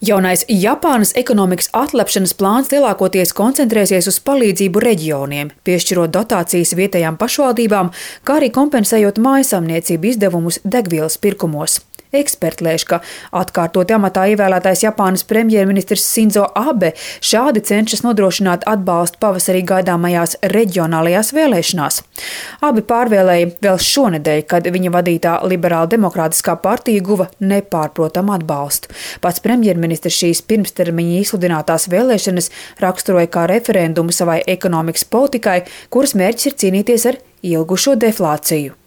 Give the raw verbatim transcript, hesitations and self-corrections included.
Jaunais Japānas ekonomikas atlapšanas plāns lielākoties koncentrēsies uz palīdzību reģioniem, piešķirot dotācijas vietējām pašvaldībām, kā arī kompensējot mājasaimniecību izdevumus degvielas pirkumos. Eksperti lēš, ka atkārtoti amatā ievēlētais Japānas premjerministrs Sinzo Abe šādi cenšas nodrošināt atbalstu pavasarī gaidāmajās reģionālajās vēlēšanās. Abi pārvēlēja vēl šonedēļ, kad viņa vadītā liberāla demokrātiskā partija guva nepārprotamu atbalstu. Pats premjerministrs šīs pirmstermiņa izsludinātās vēlēšanas raksturoja kā referendumu savai ekonomikas politikai, kuras mērķis ir cīnīties ar ilgušo deflāciju.